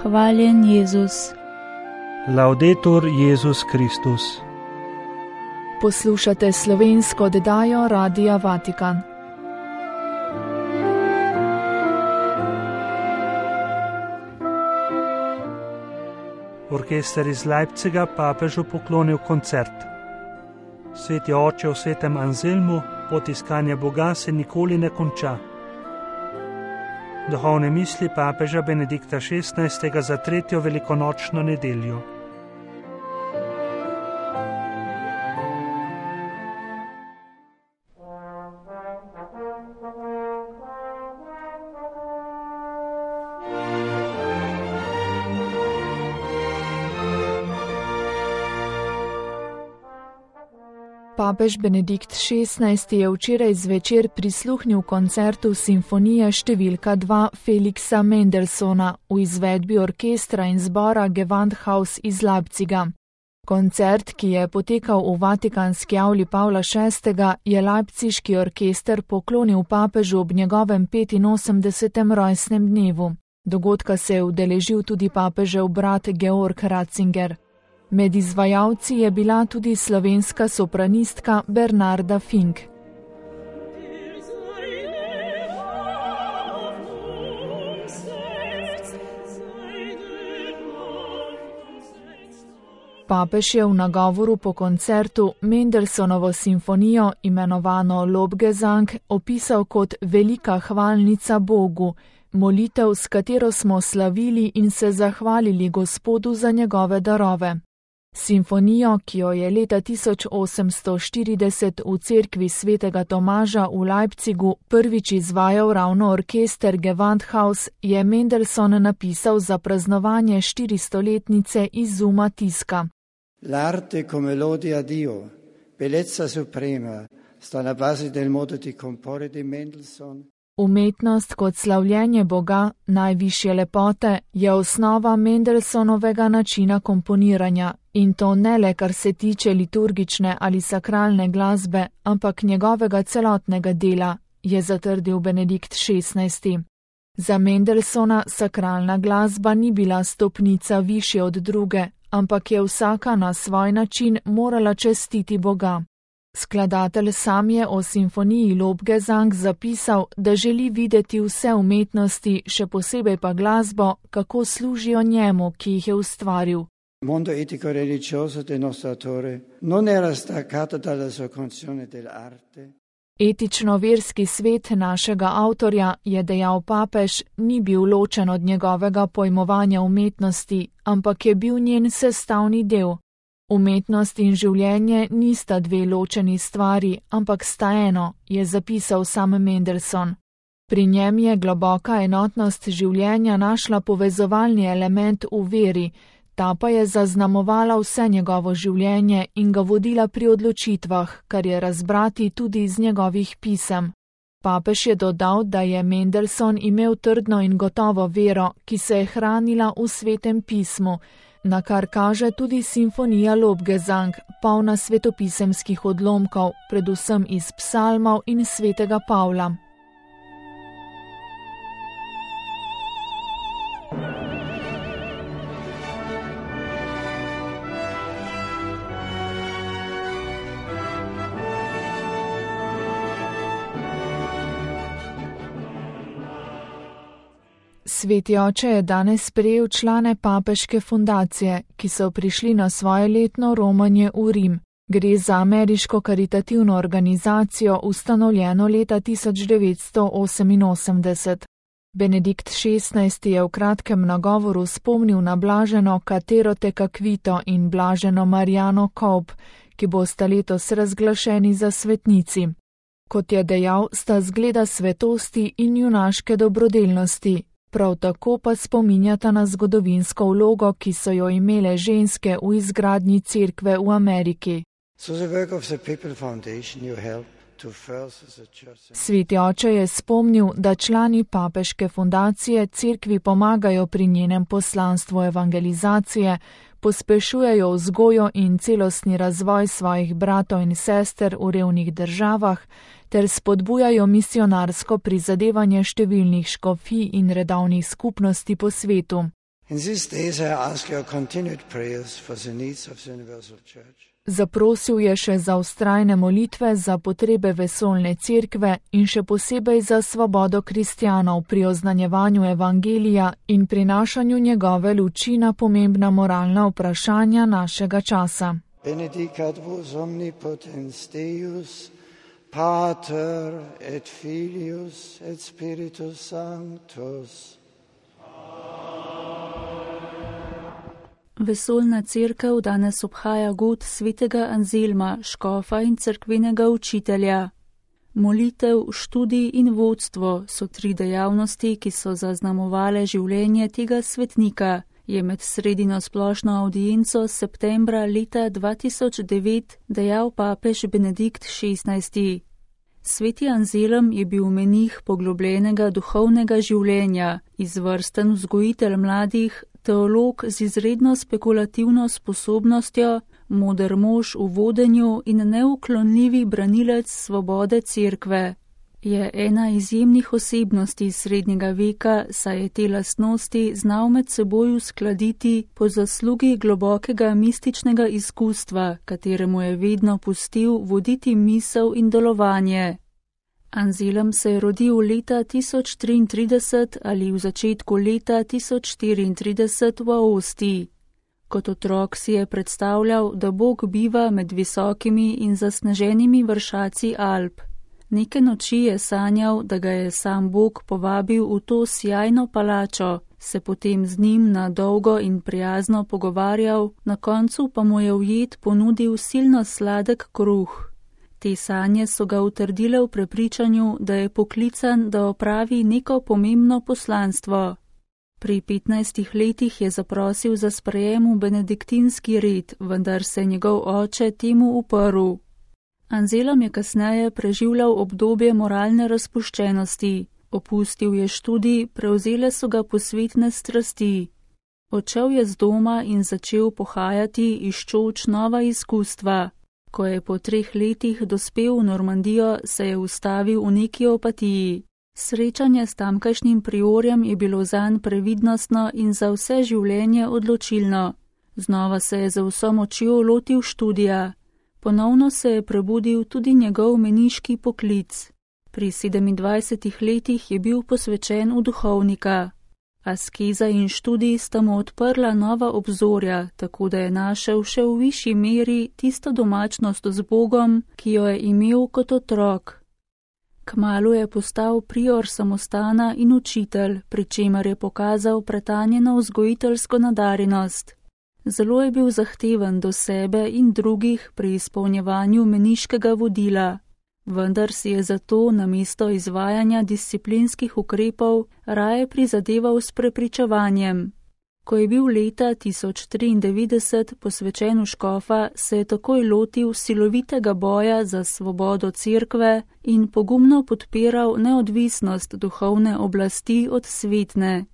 Hvaljen Jezus. Laudetur Jezus Kristus. Poslušate slovensko oddajo Radia Vatikan. Orkester iz Leipziga papežu poklonil koncert. Sveti oče v svetem Anselmu, pot iskanja Boga se nikoli ne konča. Duhovne misli papeža Benedikta XVI. Za tretjo velikonočno nedeljo. Papež Benedikt XVI. Je včeraj zvečer prisluhnil koncertu simfonije številka 2 Felixa Mendelssohna v izvedbi orkestra in zbora Gewandhaus iz Leipziga. Koncert, ki je potekal v vatikanski avli Pavla VI., je leipziški orkester poklonil papežu ob njegovem 85. rojstnem dnevu. Dogodka se je udeležil tudi papežev brat Georg Ratzinger. Med izvajalci je bila tudi slovenska sopranistka Bernarda Fink. Papež je v nagovoru po koncertu Mendelssohnovo simfonijo, imenovano Lobgesang, opisal kot velika hvalnica Bogu, molitev, s katero smo slavili in se zahvalili Gospodu za njegove darove. Simfonijo, ki jo je leta 1840 v cerkvi svetega Tomaža v Leipzigu prvič izvajal ravno orkester Gewandhaus, je Mendelssohn napisal za praznovanje 400-letnice izuma tiska. L'arte come lode a Dio, bellezza suprema, sta na base del modo di comporre di Mendelssohn. Umetnost kot slavljenje Boga, najvišje lepote, je osnova Mendelssohnovega načina komponiranja, in to ne le kar se tiče liturgične ali sakralne glasbe, ampak njegovega celotnega dela, je zatrdil Benedikt XVI. Za Mendelssohna sakralna glasba ni bila stopnica višje od druge, ampak je vsaka na svoj način morala častiti Boga. Skladatelj sam je o simfoniji Lobgesang zapisal, da želi videti vse umetnosti, še posebej pa glasbo, kako služijo njemu, ki jih je ustvaril. Mondo etico-religioso del nostro autore non era staccato dalla sua concezione dell'arte. Etično-verski svet našega avtorja, je dejal papež, ni bil ločen od njegovega pojmovanja umetnosti, ampak je bil njen sestavni del. Umetnost in življenje nista dve ločeni stvari, ampak sta eno, je zapisal sam Mendelssohn. Pri njem je globoka enotnost življenja našla povezovalni element v veri, ta pa je zaznamovala vse njegovo življenje in ga vodila pri odločitvah, kar je razbrati tudi iz njegovih pisem. Papež je dodal, da je Mendelssohn imel trdno in gotovo vero, ki se je hranila v svetem pismu, na kar kaže tudi simfonija Lobgesang, polna svetopisemskih odlomkov, predvsem iz psalmov in svetega Pavla. Sveti oče je danes sprejel člane papeške fundacije, ki so prišli na svoje letno romanje v Rim. Gre za ameriško karitativno organizacijo, ustanovljeno leta 1988. Benedikt XVI. Je v kratkem nagovoru spomnil na blaženo Katero Tekaquito in blaženo Marijano Kolb, ki bosta letos razglašeni za svetnici. Kot je dejal, sta zgleda svetosti in junaške dobrodelnosti. Prav tako pa spominjata na zgodovinsko vlogo, ki so jo imele ženske v izgradnji cerkve v Ameriki. Sveti oče je spomnil, da člani papeške fundacije cerkvi pomagajo pri njenem poslanstvu evangelizacije, pospešujejo vzgojo in celostni razvoj svojih bratov in sester v revnih državah ter spodbujajo misionarsko prizadevanje številnih škofij in redovnih skupnosti po svetu. In these days I ask your continued prayers for the needs of the Universal Church. Zaprosil je še za vztrajne molitve za potrebe vesoljne cerkve in še posebej za svobodo kristjanov pri oznanjevanju evangelija in prinašanju njegove luči na pomembna moralna vprašanja našega časa. Benedicat vos omnipotens Deus, Pater et Filius et Spiritus Sanctus. Vesoljna cerkev danes obhaja god svetega Anzelma, škofa in cerkvenega učitelja. Molitev, študij in vodstvo so 3 dejavnosti, ki so zaznamovale življenje tega svetnika, je med sredino splošno audienco septembra leta 2009 dejal papež Benedikt XVI. Sveti Anzelm je bil menih poglobljenega duhovnega življenja, izvrsten vzgojitelj mladih, teolog z izredno spekulativno sposobnostjo, moder mož v vodenju in neuklonljivi branilec svobode cerkve. Je ena izjemnih osebnosti srednjega veka, saj je te lastnosti znal med seboj uskladiti po zaslugi globokega mističnega izkustva, kateremu je vedno pustil voditi misel in delovanje. Anzelm se je rodil leta 1033 ali v začetku leta 1034 v Aostiji. Kot otrok si je predstavljal, da Bog biva med visokimi in zasneženimi vršaci Alp. Neke noči je sanjal, da ga je sam Bog povabil v to sjajno palačo, se potem z njim na dolgo in prijazno pogovarjal, na koncu pa mu je v jed ponudil silno sladek kruh. Te sanje so ga utrdile v prepričanju, da je poklican, da opravi neko pomembno poslanstvo. Pri 15 letih je zaprosil za sprejem v benediktinski red, vendar se njegov oče temu uprl. Anzelm je kasneje preživljal obdobje moralne razpuščenosti, opustil je študij, prevzele so ga posvetne strasti. Odšel je z doma in začel pohajati, iščoč nova izkustva. Ko je po 3 letih dospel v Normandijo, se je ustavil v neki opatiji. Srečanje s tamkajšnjim priorjem je bilo zanj previdnostno in za vse življenje odločilno. Znova se je za vso močjo lotil študija. Ponovno se je prebudil tudi njegov meniški poklic. Pri 27 letih je bil posvečen v duhovnika. Askeza in študij sta mu odprla nova obzorja, tako da je našel še v višji meri tisto domačnost z Bogom, ki jo je imel kot otrok. Kmalu je postal prior samostana in učitelj, pri čemer je pokazal pretanjeno vzgojiteljsko nadarjenost. Zelo je bil zahteven do sebe in drugih pri izpolnjevanju meniškega vodila. Vendar si je zato namesto izvajanja disciplinskih ukrepov raje prizadeval s prepričevanjem. Ko je bil leta 1093 posvečen v škofa, se je takoj lotil silovitega boja za svobodo cerkve in pogumno podpiral neodvisnost duhovne oblasti od svetne.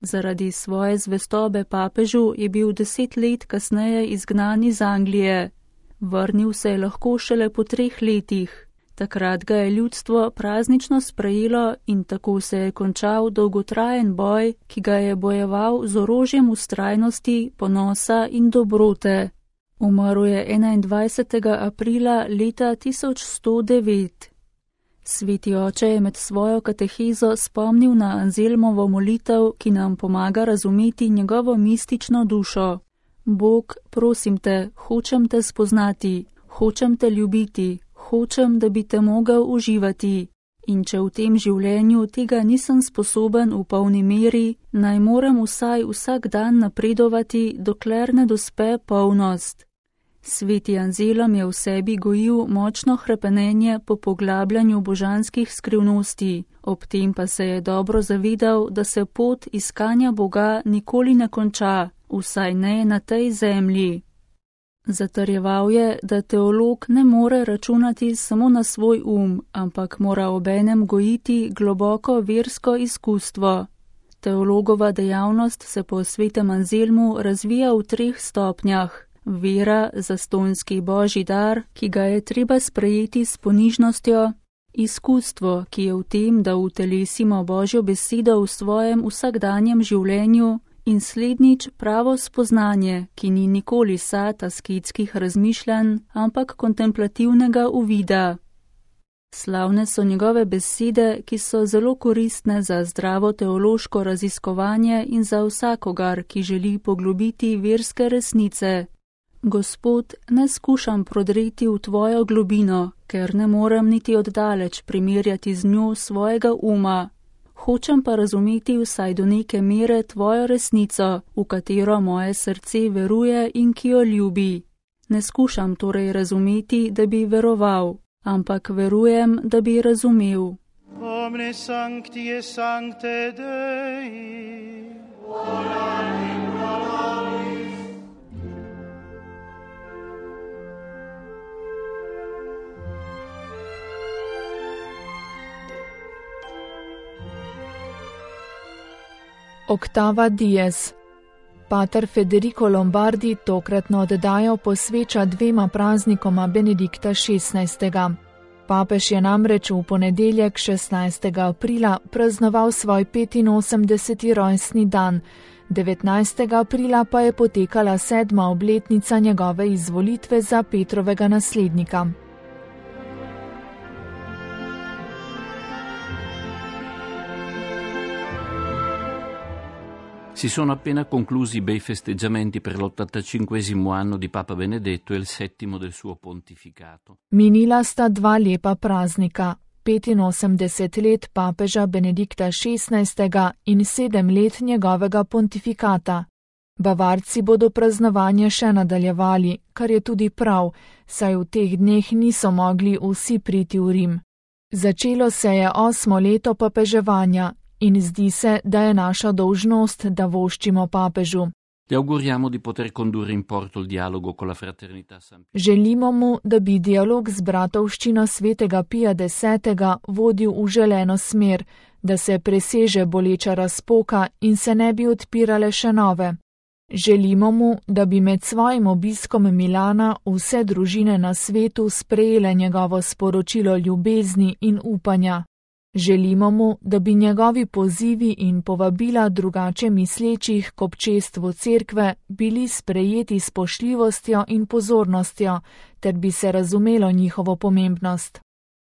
Zaradi svoje zvestobe papežu je bil 10 let kasneje izgnan iz Anglije. Vrnil se je lahko šele po 3 letih. Takrat ga je ljudstvo praznično sprejelo in tako se je končal dolgotrajen boj, ki ga je bojeval z orožjem vztrajnosti, ponosa in dobrote. Umrl je 21. aprila leta 1109. Sveti oče je med svojo katehezo spomnil na Anzelmovo molitev, ki nam pomaga razumeti njegovo mistično dušo. Bog, prosim te, hočem te spoznati, hočem te ljubiti, hočem, da bi te mogel uživati. In če v tem življenju tega nisem sposoben v polni meri, naj moram vsaj vsak dan napredovati, dokler ne dospe polnost. Sveti Anzelm je v sebi gojil močno hrepenenje po poglabljanju božanskih skrivnosti, ob tem pa se je dobro zavedal, da se pot iskanja Boga nikoli ne konča, vsaj ne na tej zemlji. Zatrjeval je, da teolog ne more računati samo na svoj ampak mora obenem gojiti globoko versko izkustvo. Teologova dejavnost se po svetem Anzelmu razvija v 3 stopnjah. Vera, zastonjski božji dar, ki ga je treba sprejeti s ponižnostjo, izkustvo, ki je v tem, da utelesimo Božjo besedo v svojem vsakdanjem življenju, in slednjič pravo spoznanje, ki ni nikoli sad asketskih razmišljanj, ampak kontemplativnega uvida. Slavne so njegove besede, ki so zelo koristne za zdravo teološko raziskovanje in za vsakogar, ki želi poglobiti verske resnice. Gospod, ne skušam prodreti v tvojo globino, ker ne morem niti oddaleč primerjati z njo svojega uma. Hočem pa razumeti vsaj do neke mere tvojo resnico, v katero moje srce veruje in ki jo ljubi. Ne skušam torej razumeti, da bi veroval, ampak verujem, da bi razumel. Omne sancti et sancte Dei, Oktava Dies. Pater Federico Lombardi tokratno oddajo posveča dvema praznikoma Benedikta XVI. Papež je namreč v ponedeljek 16. aprila praznoval svoj 85. rojstni dan, 19. aprila pa je potekala 7. obletnica njegove izvolitve za Petrovega naslednika. Si sono appena conclusi i bei festeggiamenti per l'85° anno di Papa Benedetto e il 7° del suo pontificato. Minila sta dva lepa praznika, 85 let papeža Benedikta XVI. In 7 let njegovega pontifikata. Bavarci bodo praznovanje še nadaljevali, kar je tudi prav, saj v teh dneh niso mogli vsi priti v Rim. Začelo se je 8. leto papeževanja. In zdi se, da je naša dolžnost, da voščimo papežu. Ti auguriamo di poter condurre in porto il dialogo con la fraternità San Pio. Želimo mu, da bi dialog z bratovščino svetega Pija X. vodil v želeno smer, da se preseže boleča razpoka in se ne bi odpirale še nove. Želimo mu, da bi med svojim obiskom Milana vse družine na svetu sprejele njegovo sporočilo ljubezni in upanja. Želimo mu, da bi njegovi pozivi in povabila drugače mislečih k občestvu cerkve bili sprejeti s spoštljivostjo in pozornostjo, ter bi se razumelo njihovo pomembnost.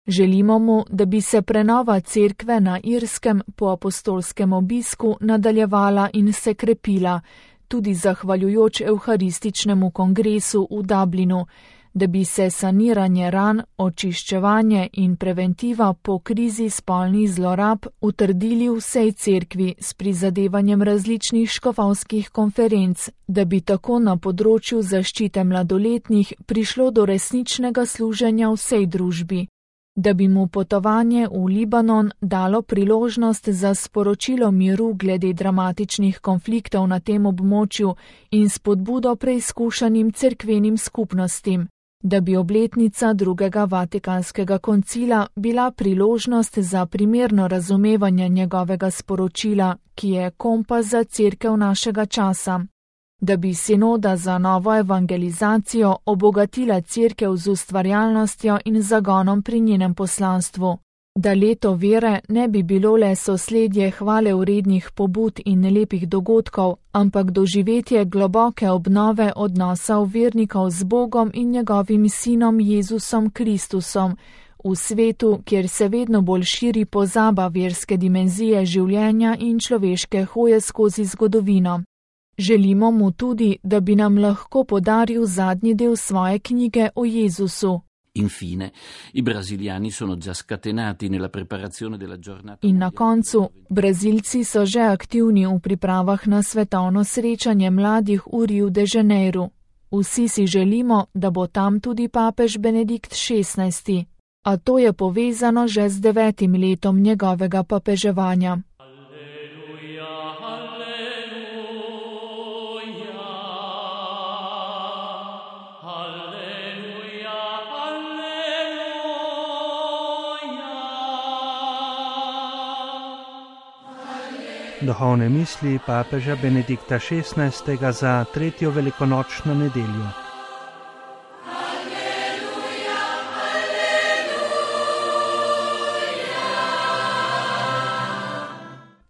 Želimo mu, da bi se prenova cerkve na Irskem po apostolskem obisku nadaljevala in se krepila, tudi zahvaljujoč Evharističnemu kongresu v Dublinu, da bi se saniranje ran, očiščevanje in preventiva po krizi spolnih zlorab utrdili v vsej cerkvi s prizadevanjem različnih škofovskih konferenc, da bi tako na področju zaščite mladoletnih prišlo do resničnega služenja vsej družbi, da bi mu potovanje v Libanon dalo priložnost za sporočilo miru glede dramatičnih konfliktov na tem območju in spodbudo preizkušanim cerkvenim skupnostim, da bi obletnica drugega Vatikanskega koncila bila priložnost za primerno razumevanje njegovega sporočila, ki je kompas za cerkev našega časa, da bi sinoda za novo evangelizacijo obogatila cerkev z ustvarjalnostjo in zagonom pri njenem poslanstvu, da leto vere ne bi bilo le sosledje hvale vrednih pobud in lepih dogodkov, ampak doživetje globoke obnove odnosov vernikov z Bogom in njegovim sinom Jezusom Kristusom, v svetu, kjer se vedno bolj širi pozaba verske dimenzije življenja in človeške hoje skozi zgodovino. Želimo mu tudi, da bi nam lahko podaril zadnji del svoje knjige o Jezusu. Infine, i brasiliani sono già scatenati nella preparazione della giornata. In na koncu, Brazilci so že aktivni v pripravah na svetovno srečanje mladih v Rio de Janeiro. Vsi si želimo, da bo tam tudi papež Benedikt XVI. A to je povezano že z 9. letom njegovega papeževanja. Duhovne misli papeža Benedikta XVI. Za 3. velikonočno nedeljo.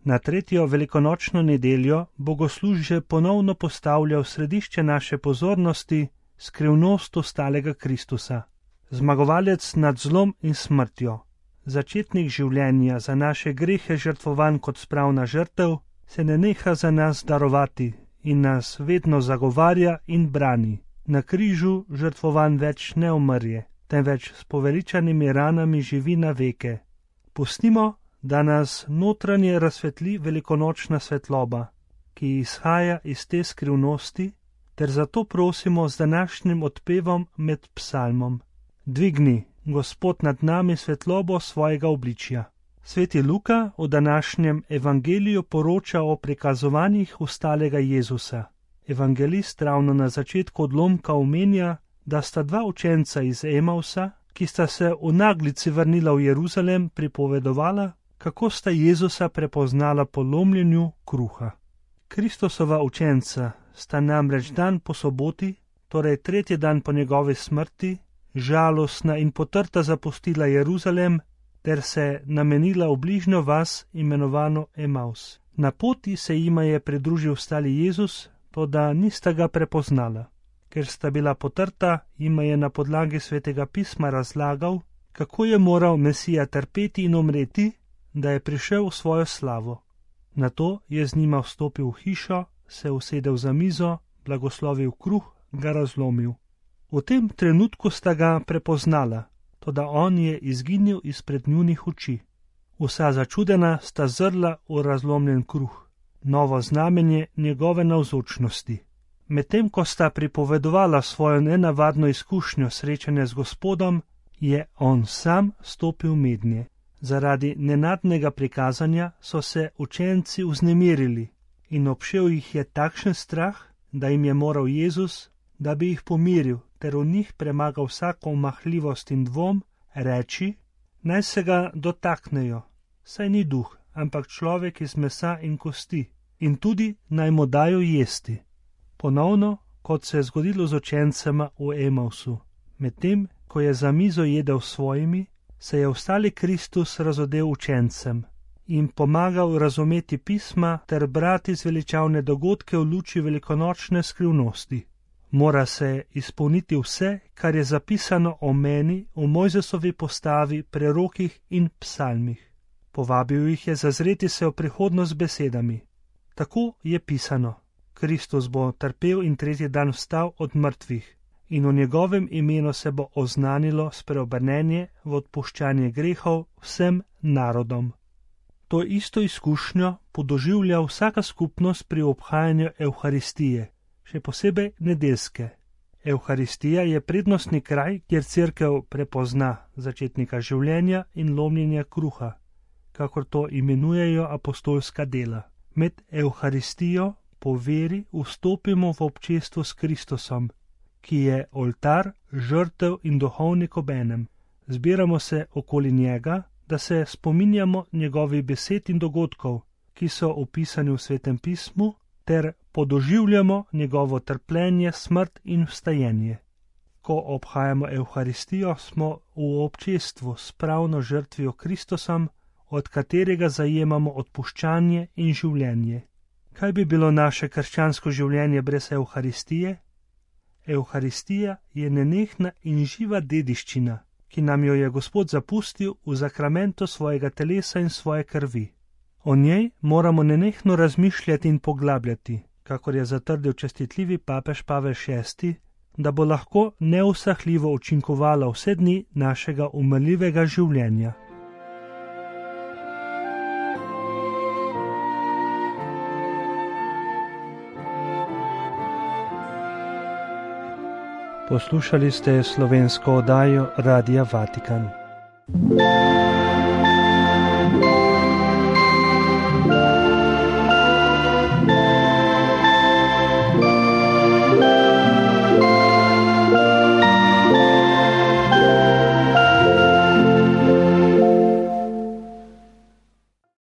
Na tretjo velikonočno nedeljo bogoslužje ponovno postavlja v središče naše pozornosti skrivnost ostalega Kristusa, zmagovalec nad zlom in smrtjo. Začetnik življenja, za naše grehe žrtvovan kot spravna žrtev, se ne neha za nas darovati in nas vedno zagovarja in brani. Na križu žrtvovan več ne umrje, temveč s poveličanimi ranami živi na veke. Pustimo, da nas notranje razsvetli velikonočna svetloba, ki izhaja iz te skrivnosti, ter zato prosimo z današnjim odpevom med psalmom. Dvigni, Gospod, nad nami svetlobo svojega obličja. Sveti Luka v današnjem evangeliju poroča o prikazovanjih ustalega Jezusa. Evangelist ravno na začetku odlomka omenja, da sta dva učenca iz Emausa, ki sta se v naglici vrnila v Jeruzalem, pripovedovala, kako sta Jezusa prepoznala po lomljenju kruha. Kristusova učenca sta namreč dan po soboti, torej tretji dan po njegovi smrti, žalostna in potrta zapustila Jeruzalem ter se namenila v bližnjo vas imenovano Emaus. Na poti se jima je pridružil stali Jezus, toda nista ga prepoznala. Ker sta bila potrta, jima je na podlagi svetega pisma razlagal, kako je moral Mesija trpeti in umreti, da je prišel v svojo slavo. Nato je z njima vstopil v hišo, se usedel za mizo, blagoslovil kruh, ga razlomil. V tem trenutku sta ga prepoznala, toda on je izginil izpred njunih oči. Vsa začudena sta zrla v razlomljen kruh, novo znamenje njegove navzočnosti. Medtem ko sta pripovedovala svojo nenavadno izkušnjo srečanja z Gospodom, je on sam stopil mednje. Zaradi nenadnega prikazanja so se učenci vznemirili in obšel jih je takšen strah, da jim je moral Jezus, da bi jih pomiril ter v njih premagal vsako omahljivost in dvom, reči, naj se ga dotaknejo, saj ni duh, ampak človek iz mesa in kosti, in tudi naj mu dajo jesti. Ponovno, kot se je zgodilo z učencema v Emausu, medtem, ko je za mizo jedel svojimi, se je ostali Kristus razodel učencem in pomagal razumeti pisma ter brati zveličavne dogodke v luči velikonočne skrivnosti. Mora se izpolniti vse, kar je zapisano o meni v Mojzesovi postavi, prerokih in psalmih. Povabil jih je zazreti se v prihodnost z besedami. Tako je pisano. Kristus bo trpel in tretji dan vstal od mrtvih in v njegovem imenu se bo oznanilo spreobrnenje v odpuščanje grehov vsem narodom. To isto izkušnjo podoživlja vsaka skupnost pri obhajanju Evharistije, še posebej nedeljske. Evharistija je prednostni kraj, kjer cerkev prepozna začetnika življenja in lomljenja kruha, kakor to imenujejo apostolska dela. Med Evharistijo po veri vstopimo v občestvo s Kristusom, ki je oltar, žrtev in duhovnik obenem. Zbiramo se okoli njega, da se spominjamo njegovih besed in dogodkov, ki so opisani v Svetem pismu, ter podoživljamo njegovo trpljenje, smrt in vstajenje. Ko obhajamo Evharistijo, smo v občestvu s pravno žrtvijo Kristusom, od katerega zajemamo odpuščanje in življenje. Kaj bi bilo naše krščansko življenje brez Evharistije? Evharistija je nenehna in živa dediščina, ki nam jo je Gospod zapustil v zakramentu svojega telesa in svoje krvi. O njej moramo nenehno razmišljati in poglabljati, kakor je zatrdil čestitljivi papež Pavel VI, da bo lahko neusahljivo učinkovala vse dni našega umrljivega življenja. Poslušali ste slovensko oddajo Radia Vatikan.